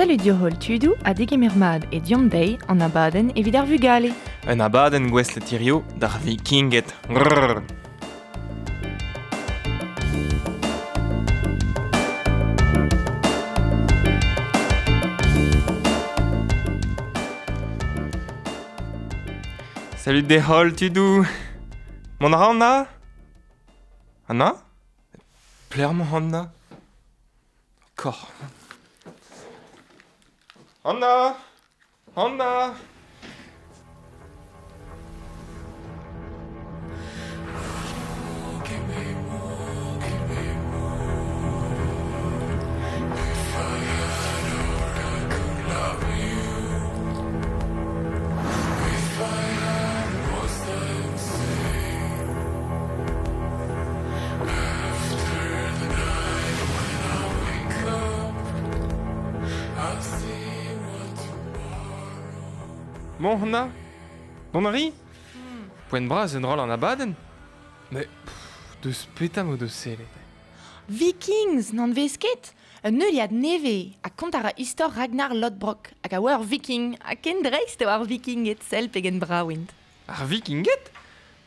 Salut diohol tudoù ha degemer mat e Deomp Dezhi an abadenn evit ar vugale. Un abadenn gouestlet hirio d'ar Vikinged. Grrr. Salut dezholl tudoù. Mont a ra Anna? Anna? Pelec'h emañ Anna? Kor. Anna! Anna! Bon, Anna Dont a ri Poent bras enroll an abadenn Mais deus petra m'o deus sellet Vikings, n'an vez ket Un heuliad nevez ha kont a ra istor Ragnar Lodbrok hag a oa ur viking ha ken dreist eo ar vikinged sell pegen brav int. Ar vikinged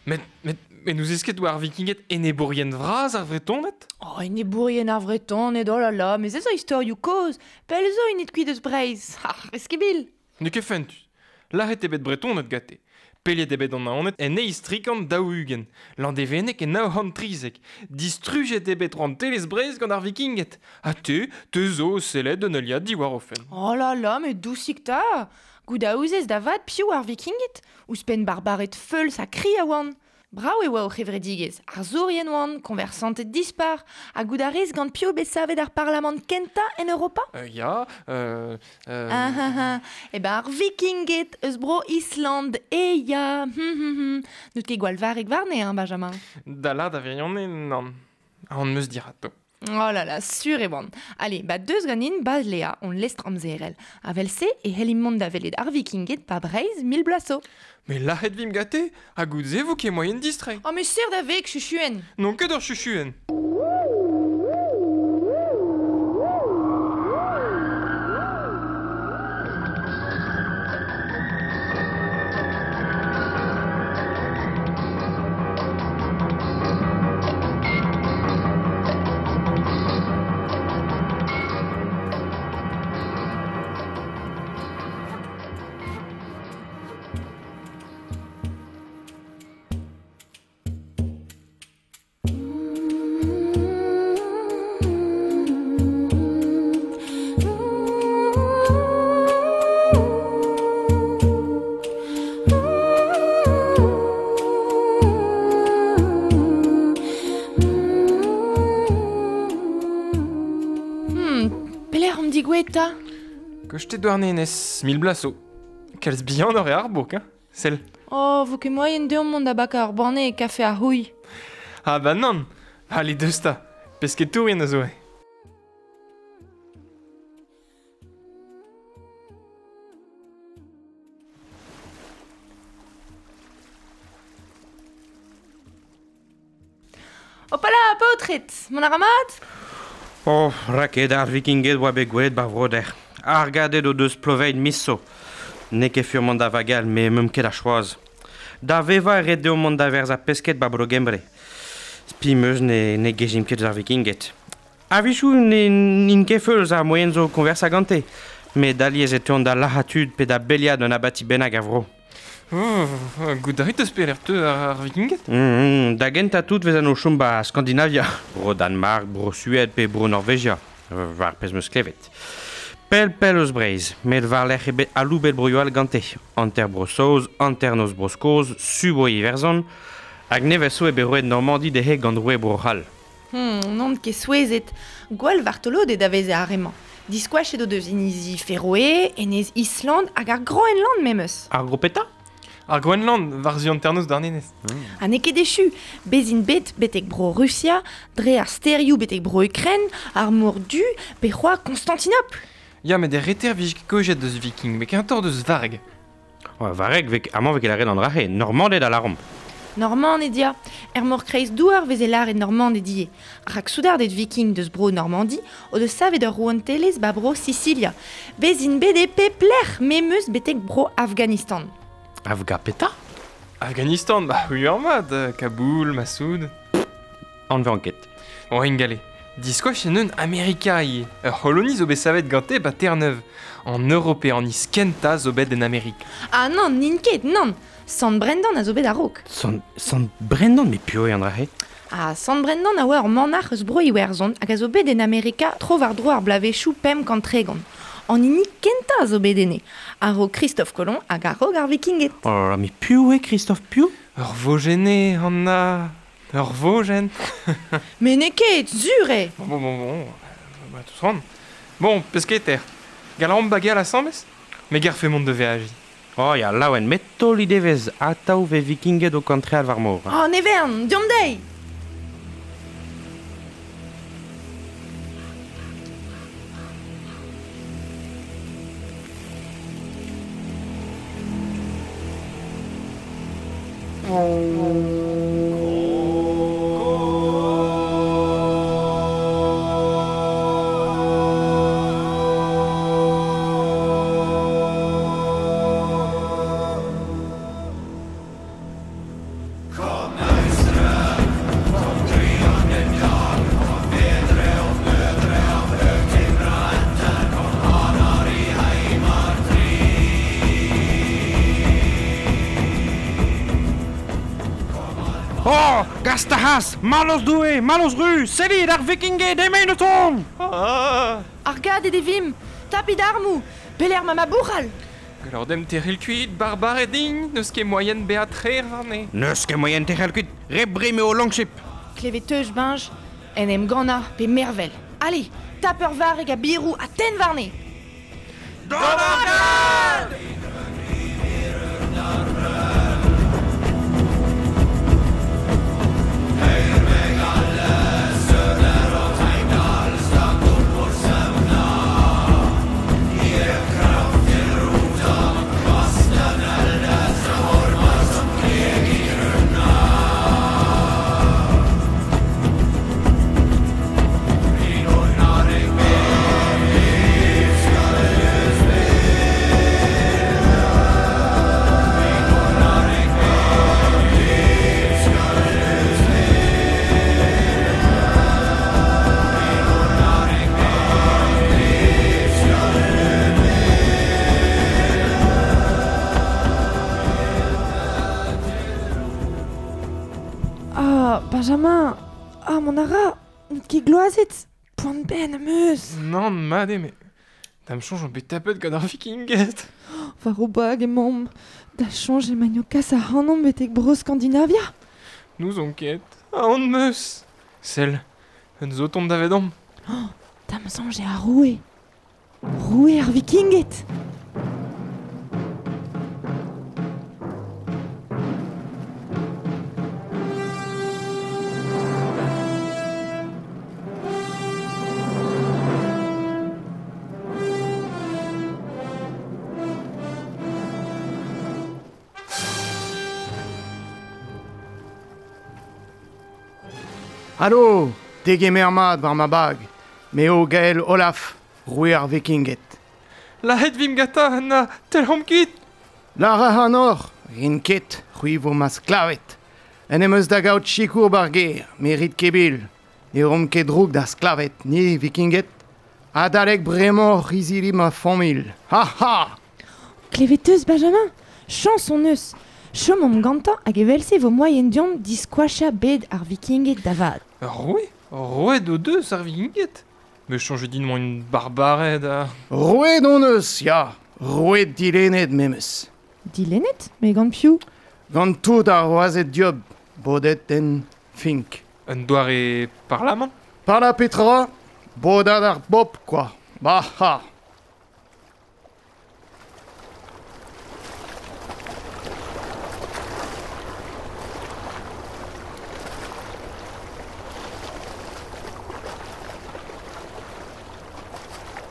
Met, met, met n'ouzez ket oa ar vikinged enebourien vras ar Vretoned? Oh, enebourien ar Vretoned, oh là là, mais ez zo istorioù kozh, pell zo int kuit eus Breizh. Ah, eskibil! N'eo ket fentus. Lazhet eo bet Bretoned gante. Peliet eo bet an Naoned en eizh trikant 40, Landevenneg en 913. Distrujet eo bet rouantelezh Breizh gant ar Vikinged. Ha te, te zo o sellet un heuliad diwar o fenn. Oh là là, met dousik 'ta! Goût a ouzez da vat piv ar Vikinged? Ouzhpenn barbared feuls ha kri a oant. Brav e oa o c'hevredigezh, arzourien oant, koñversanted dispar, ha goût a rez gant piv bet savet ar parlamant kentañ en Europa? Ya, Ah, ah, ah. Eh ben ar Vikinged eus bro Island, eh ya, N'out ket gwall varrek warne, hein, Benjamin? Da lâr da wirionez, nann. Aon 'm eus dirato. Oh là là, sur e oan. Allez, ba deus ganin ba Lea, hon lestr amzerel. Avel-se e c'hellimp mont da welet ar Vikinged pa Breizh mil bloaz zo. Mais lâret vimp gante, ha goût-se vo ket moaien distreiñ. Oh, mais sur da veg, chuchuen. N'on ket ur chuchuen. Pelec'h omp digouezhet 'ta? Koste Douarnenez, mil bloaz zo. Kalz bihanoc'h eo ar bourk, hein Sell. Oh, vo ket moaien deomp mont da bakañ ur banne e kafe ar c'houilh. Ah bah nann Allez, deus 'ta Pesketourien a zo eo. Hopala, paotred, mont a ra mat? Oh, raket ar vikinged oa bet gwelet 'ba Vroder. Argadet o deus ploveid miso. N'eo ket fur mont da vagal, met meump ket a choaz. Da vevañ e ret deomp mont da verzañ pesked 'ba Bro-Gembre. Spi 'm eus ne, ne gejimp ket eus ar vikinged. A-wechoù n'int ket feuls ar moaien zo koñversañ gante, met alies e teuont da lazhañ tud pe da beliat un abati bennak a vro. Goût a rit eus pelec'h teu ar Vikinged? Da gentañ tout 'vezan o chom 'ba Skandinavia, bro Danmark, bro Sued pe bro Norvegia, war pezh 'm eus klevet. Pell-pell eus Breizh, met war-lerc'h eo bet aloubet broioù all gante, hanter Bro-Saoz, hanternoz Bro-Skos, su Bro-Iwerzhon, hag nevez zo eo bet roet Normandi dezhe gant roue Bro-C'hall. N'on ket souezhet. Gwall vartoloded a veze ar re-mañ. Diskoachet o deus inizi Feroe, enez Island hag ar Groenland memes. Ar gro petra? Ar Groenland, war-zu hanternoz Douarnenez. Ha n'eo ket echu. Bez int bet betek Bro-Rusia, dre ar stêrioù betek Bro-Ukren, ar Mor Du pe c'hoazh Konstantinopl. Ya, met er reter 'vije ket kaojet deus viking, met kentoc'h deus varg. Varrek, amañ 'vez ket lâret an dra-se, Normanded a lâromp. Normaned ya. Er mor kreiz douar veze lâret Normaned ivez. Rak soudarded viking deus bro Normandi o deus savet ur rouantelezh ba bro Sisilia. Bez int bet e pep lec'h memes betek bro Afghanistan. Afga petra? Afghanistan, bah oui ur mat, Kaboul, Massoud. Anvean ket. Bon, ingale. Diskoach en un Amerika ivez. Ur c'holoni zo bet savet gante ba Terre-Neuve. An Europeaniz kentañ zo bet en Amerik. Ah nann, n'int ket, nann. Sant Brendan a zo bet a-raok. Sant, Sant Brendan, met piv eo an dra-se? Ah, Sant Brendan a oa ur manac'h eus Bro-Iwerzhon hag a zo bet en Amerika tro-war-dro ar bloavezhioù 530. An hini kentañ a zo bet enne, a-raok Christophe Colomb hag a-raok ar Vikinged. Oh là là, met piv eo Christophe piv? Ur vojenn eo, Anna. Ur vojenn. Met n'eo ket, sur eo! Bon, bon, bon, bon, bah, tout ran. Bon, pesketer. Gall a ran bageal asambles? Me garfe mont da veajiñ. Oh ya, laouen, met taol he devez atav 'vez vikinged o kantreal war mor. Oh, ne vern, deomp dezhi! Oh, gast a c'has, mallozh Doue, mallozh ru, sellit ar vikinged emaint o tont! Ah! Argadet e vimp, tapit armoù, pelec'h ma ma bouc'hal? Gallout demp tec'hel kuit, barbared int, n'eus ket moaien bezañ trec'h warne. N'eus ket moaien tec'hel kuit, re brim eo Longship. Klevet 'teus, Benj, en em gannañ pe mervel. Ale, tap ur varreg ha biroù ha tenn warne! D'an argad! Ah, Benjamin Ah, mon ara N'out ket gloazet Poan benn am eus Nann, mat eo, met da'm soñj on bet tapet gant ar vikinged. War o bag emaomp. Da soñj emaint o kas ac'hanomp betek Bro-Skandinavia. N'ouzon ket. Aon 'm eus. Sell, un zo tont davedomp. Da'm soñj eo ar roue. Roue ar vikinged. Alo, degemer mat war ma bag. Me eo Gael Olaf, roue ar Vikinged. Lazhet vimp gantañ, Anna, telc'homp kuit! Lar ac'hanoc'h, rin ket, c'hwi vo ma sklaved. En em eus da gaout sikour ba'r gêr, me rit ket bil. Ne romp ket droug da sklaved, ni, Vikinged. Adalek bremañ oc'h izili ma familh. Ha ha! Klevet 'teus, Benjamin? Chañs hon eus. Chomomp gantañ hag evel-se e vo moaien deomp diskoachañ bed ar Vikinged da vat. Ur roue? Roet o deus ar Vikinged? Me soñj din emañ int barbared ha... Roet hon eus, ya. Roet dilennet memes. Dilennet? Met gant piv? Gant tout ar wazed dieub, bodet en Fink. Un doare parlamant? Par petra? Bodad ar bobl, kwa. Bah ha!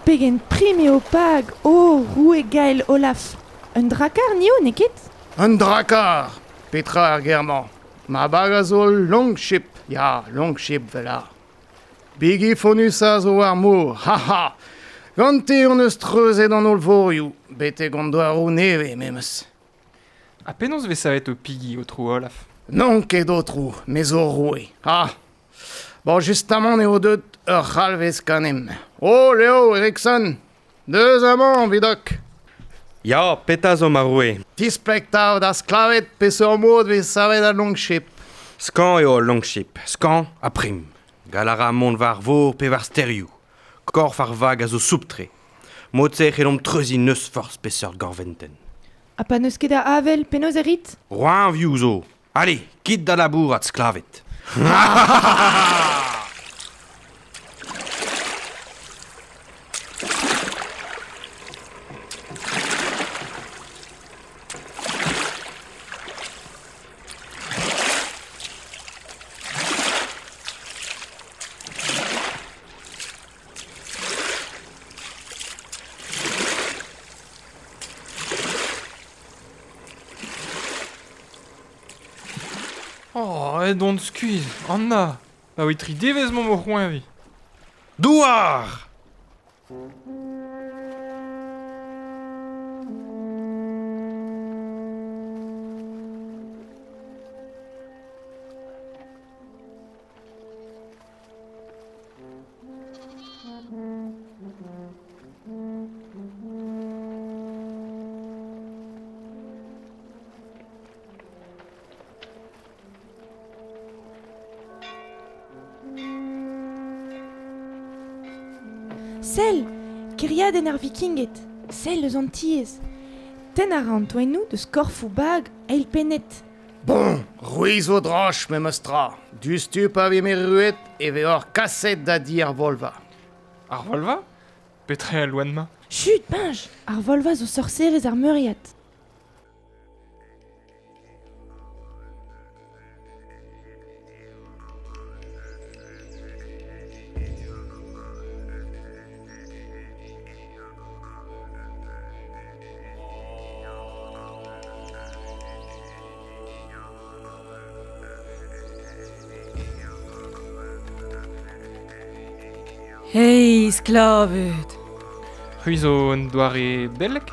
Pegen prim eo pag, oh, roue Gael Olaf. Un drakar nio, n'eo ket? Un drakar! Petra ar ger-mañ? Ma bag a zo longship, ya, longship vela. Bigi fonus a zo ar mor, ha ha! Gante hon eus treuzet an holl vorioù, betek an douaroù nevez memes. Ha penaos vez savet ho pigi, aotrou Olaf? N'on ket aotrou, me zo roue. Ah! Bon, justamant eo deut ur c'halvez ganemp. Oh, Leo, Eriksson! Deus amañ, vidok! Ya, petra zo ma roue? Displeg 'ta da sklaved peseurt mod vez savet al longship. Skañv eo al longship, skañv ha prim. Gall a ra mont war vor pe war stêrioù. Korf ar vag a zo soupl-tre. Mod-se e c'hellomp treuziñ n'eus forzh peseurt gorventenn. Ha pa n'eus ket a avel, penaos e rit? Roeñvioù zo. Ale, kit da labourat, sklaved. Oh, aet on skuizh, Anna. Abaoe tri devezh 'maomp o c'hoeñviñ. Douar! Sell! Kêriadenn ar Vikinged! Sell eus an tiez! Tenn a ra an toennoù deus korfoù bag eilpennet. Bon, c'hwi zo droch memes tra. Diouzhtu pa vimp erruet e veoc'h kaset da di ar Volva. Ar Volva? Petra eo al loen-mañ? Chut, Benj! Ar Volva zo sorserez ar meuriad. Hey, sklaved! C'hwi zo un doare beleg?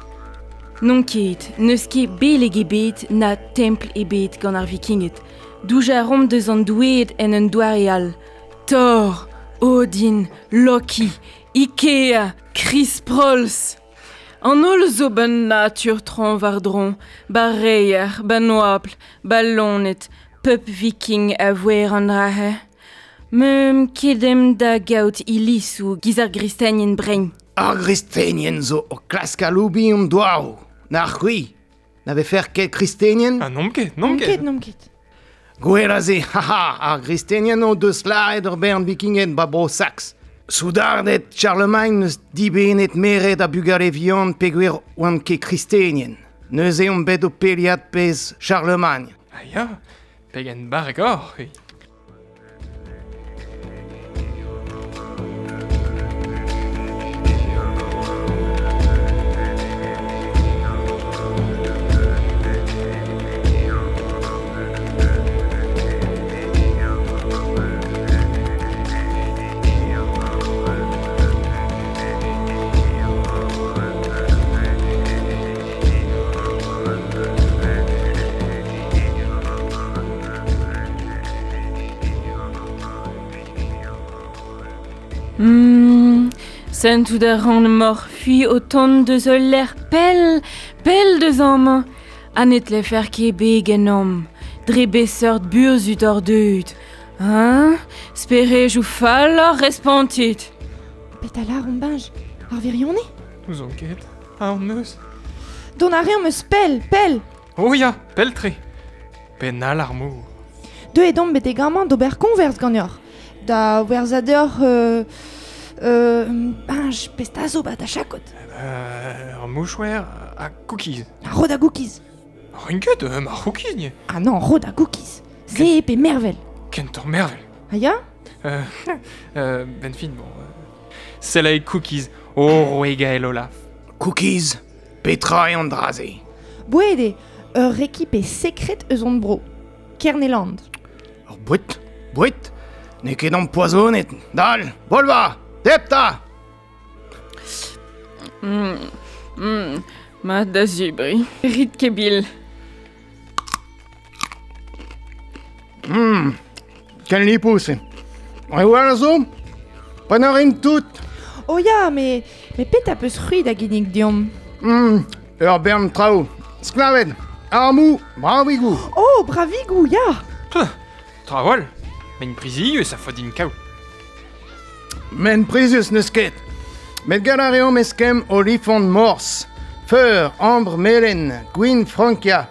N'on ket, n'eus ket beleg ebet na templ ebet gant ar Vikinged. Doujañ a reomp deus an doueed en un doare all. Thor, Odin, Loki, Ikea, Chris Prolls. An holl zo ban natur traoñ war-dro, ba reier, ban oabl, ba loened, pep viking a voer an dra-se. Meump ket em da gaout ilizoù giz ar gristenien brein. Ar gristenien zo o klask aloubiñ an douaroù. Na c'hwi, na vefec'h ket kristenien? Ah, n'omp ket, n'omp N'omp ket. ket, n'omp ket. Gwell a se, haha, ar gristenien o deus lâret ur bern vikinged ba Bro-Saks. Soudarded Charlemagne n'eus dibennet meret ha bugale vihan peogwir oant ket kristenien. Neuze omp bet o peliat pezh Charlemagne. Ah ya, pegen barrek oc'h, c'hwi. Sentout a ran emaoc'h c'hwi o tont deus ul lec'h pell, pell deus amañ. Ha ne tlefec'h ket bet ganeomp. Dre beseurt burzhud oc'h deuet. Hein? Sperejoù fall oc'h respontit. Petra lâromp Benj? Ar wirionez? N'ouzon ket. Aon eus. Dont a reomp eus pell, pell! Oh ya, pell-tre. Penn all ar mor. Deuet omp betek amañ d'ober koñvers ganeoc'h. Da werzhañ deoc'h Benj, pesta zo ba da chakod. Ur mouchouer ha cookies. Rod a cookies. Rin ket, ma cookies, nie. Ah non, rod a cookies. Se pe mervel. Kentoc'h mervel. Ah ya? Ben fin, bon. Sell cookies. Oh, roue Gaël Olaf. Cookies, petra eo an dra-se? Boued eo, ur rekipe sekret eus hon bro. Kerneland. Ur boued, boued, n'eo ket ampoazonet. Dal, bolva, debr 'ta! Mat da zebriñ. Rit ket bil. Ken lipous eo. Reoù all a zo? Prenañ a rin tout. Oh ya, met, met petra 'peus c'hwi da ginnig deomp? Ur bern traoù. Sklaved, armoù, bravigoù. Oh, bravigoù, ya! Trawal, mein prizius a faot din kaout. Men prizius n'eus ket. Met gall a reomp eskemm olifant mors, feur, ambr melen, gwin Frankia,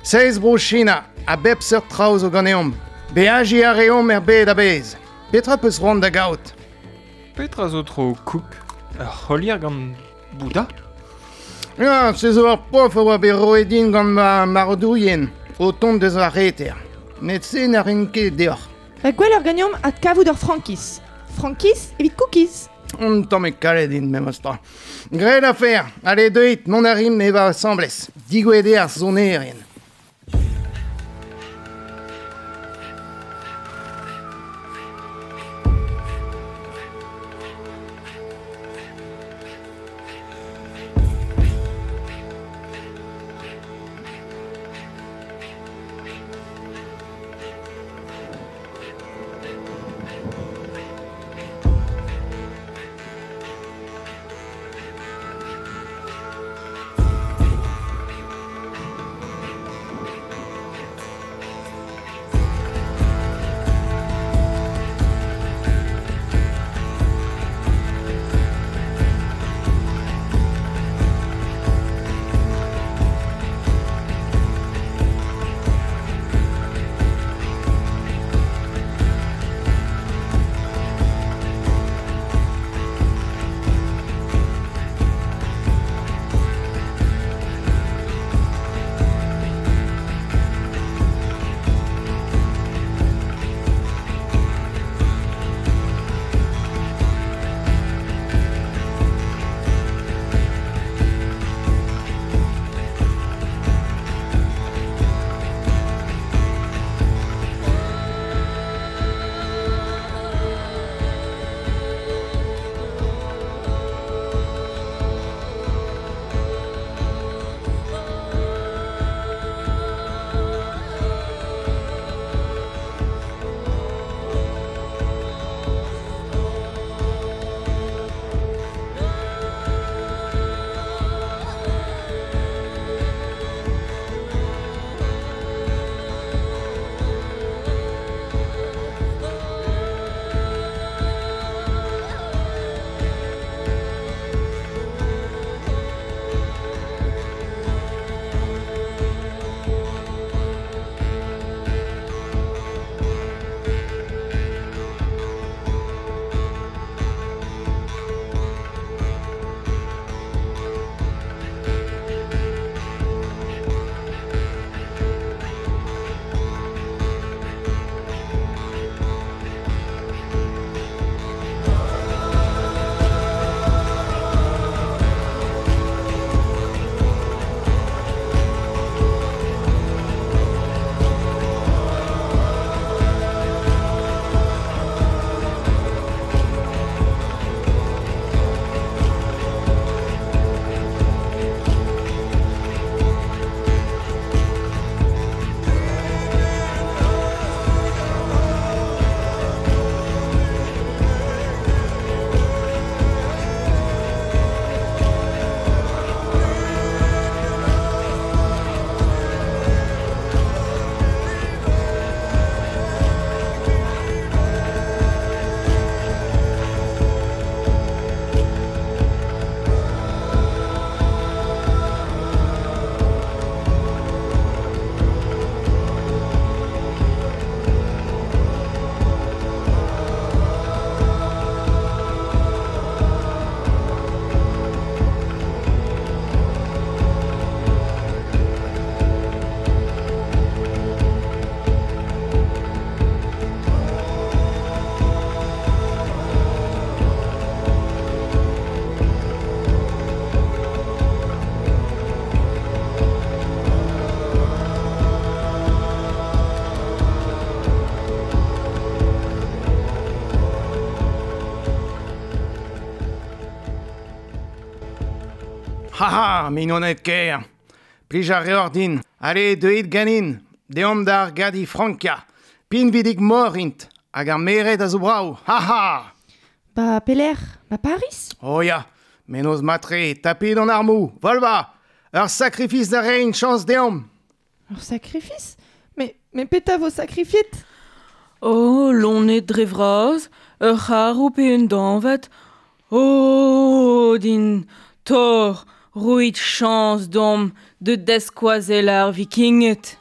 seiz bro China, a bep seurt traoù zo ganeomp. Beajiñ a reomp er bed a-bezh. Petra 'peus c'hoant da gaout? Petra zo tro kouk? Ur c'holier gant Bouda? Ya, se zo ur prof a oa bet roet din gant ma marc'hadourien o tont deus ar reter. Met se na rin ket deoc'h. Ba gwelloc'h ganeomp adkavout ur frankiz. Frankiz evit cookies. Un tammig kalet int memes tra. Graet afer, ale deuit, mont a rimp evañ asambles. Digouezhet eo ar sonerien. Ha ha, mignoned ker. Plij a reoc'h din. Ale, deuit ganin. Deomp d'ar gadi Frankia. Pinvidik mor int. Hag ar merc'hed a zo brav. Ha ha! Ba pelec'h? Ba Paris? Oh ya, mennozh matre, tapit an armoù. Volva! Ur sakrifis da reiñ chañs deomp. Ur sakrifis? Mais, mais petra vo sakrifiet? Oh, loened dre vras, ur c'harv pe un dañvad. Oh, din, Thor, roit chañs deomp da daskoazellañ ar Vikinged.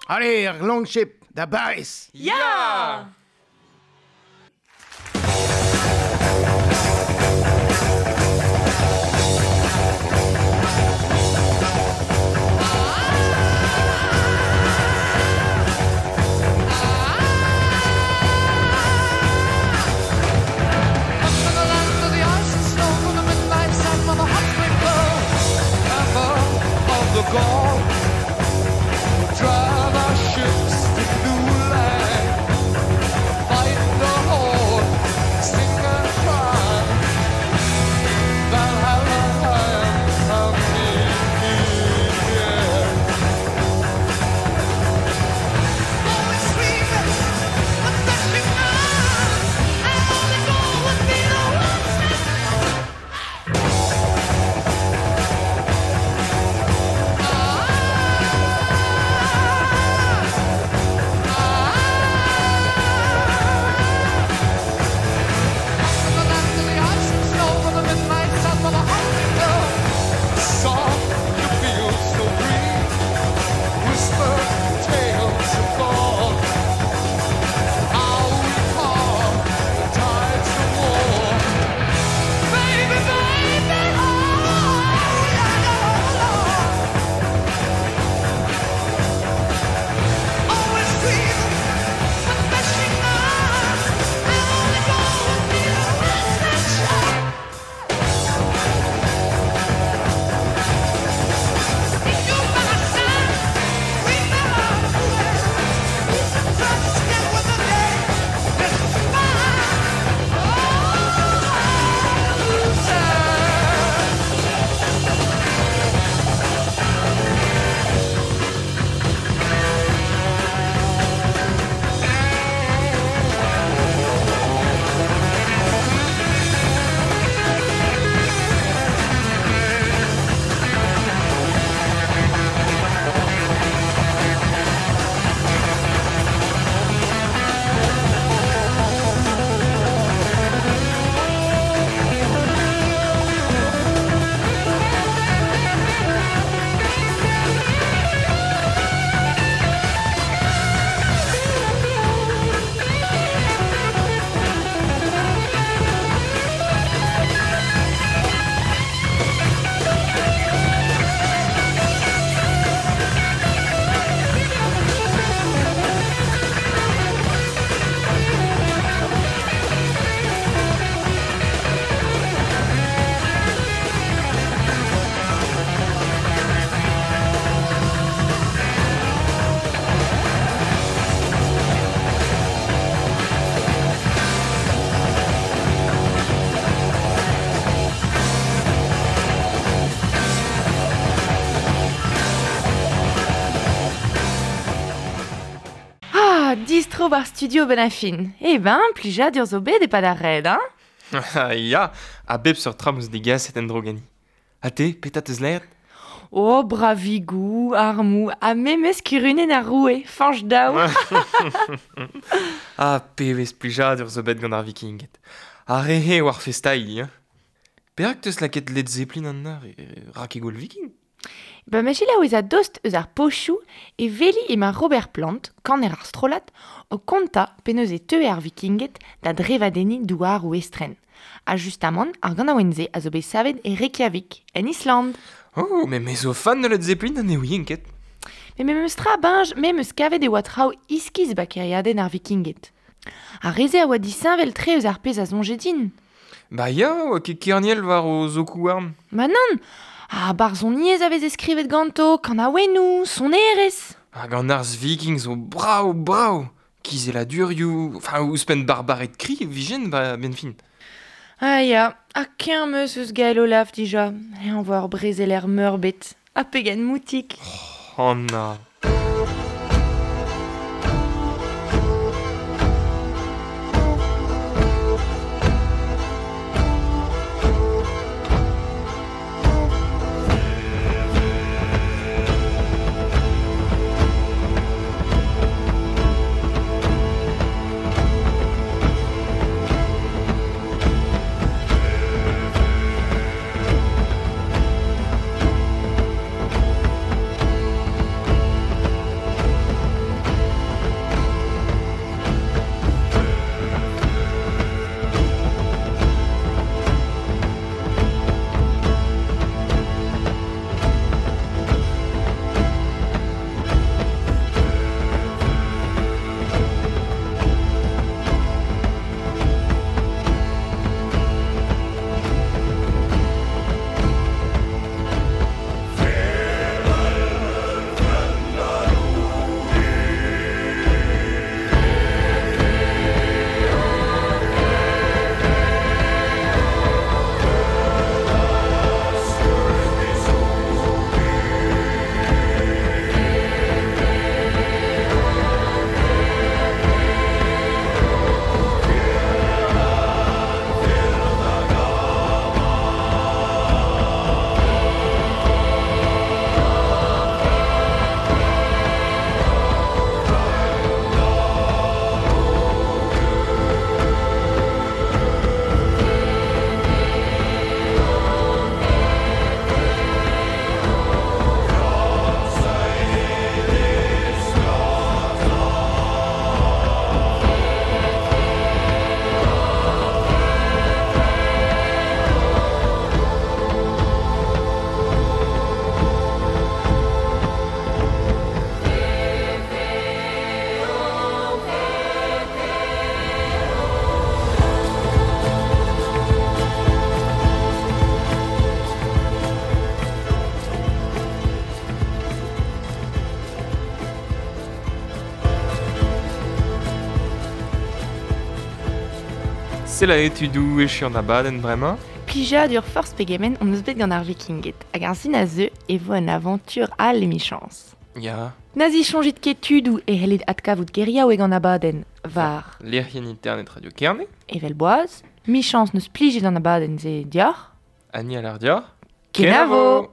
Allez, ar longship da Baris! Ya! Distro war studio ben a fin. Eh ben, plijadur zo bet e-pad ar red, hein? Ya, a bep seurt tra 'm eus degaset en-dro gani. Ha te, petra 'teus laeret? Oh, bravigoù, armoù, ha memes kurunenn ar roue, Fañch Daou. Ah, pebezh plijadur zo bet gant ar Vikinged. Ar re-se eo ar festailh, hein. Perak 'teus lakaet Led Zeppelin an eur, rak e gouel viking? Ba ma selaou ez a dost eus ar pochoù e veli ema Robert Plant, kaner ar strollad, o konta penaos e teue ar vikinged da drevadenniñ douaroù estren. Ha justamant, ar ganaouenn-se a zo bet savet e Reykjavik, en Island. Oh, met me zo fan de Led Zeppelin ha ne ouien ket. Met memes tra, Benj, me 'm eus kavet e oa traoù iskis ba kêriadenn ar vikinged. Ar re-se a oa disheñvel-tre eus ar pezh a soñje din. Ba ya, oa ket kerniel war o zokoù-houarn. Ma nann! Ha barzhoniezh a veze skrivet ganto, kanaouennoù, sonerezh. Hag an arz viking zo brav-brav! Kizelladurioù, enfin ouzhpenn barbared kri e vijen ba 'benn fin. Ah ya, ha keñv 'm eus eus Gael Olaf dija, eñ 'voa ur brezeler meurbet. Ha pegen moutik! Oh, Anna. C'est la tudoù echu an abadenn bremañ. Plijadur forzh pegement on eus bet gant ar vikinged, hag ar sin a zeu e vo un aventure all emichañs. Ya. Na zisoñjit ket tudoù e c'hellit adkavout geriaoueg an abadenn war Lec'hienn internet Radio Kerne. Evel boaz, michañs n'eus plijet an abadenn-se deoc'h. Annie a lar deoc'h. Kenavo!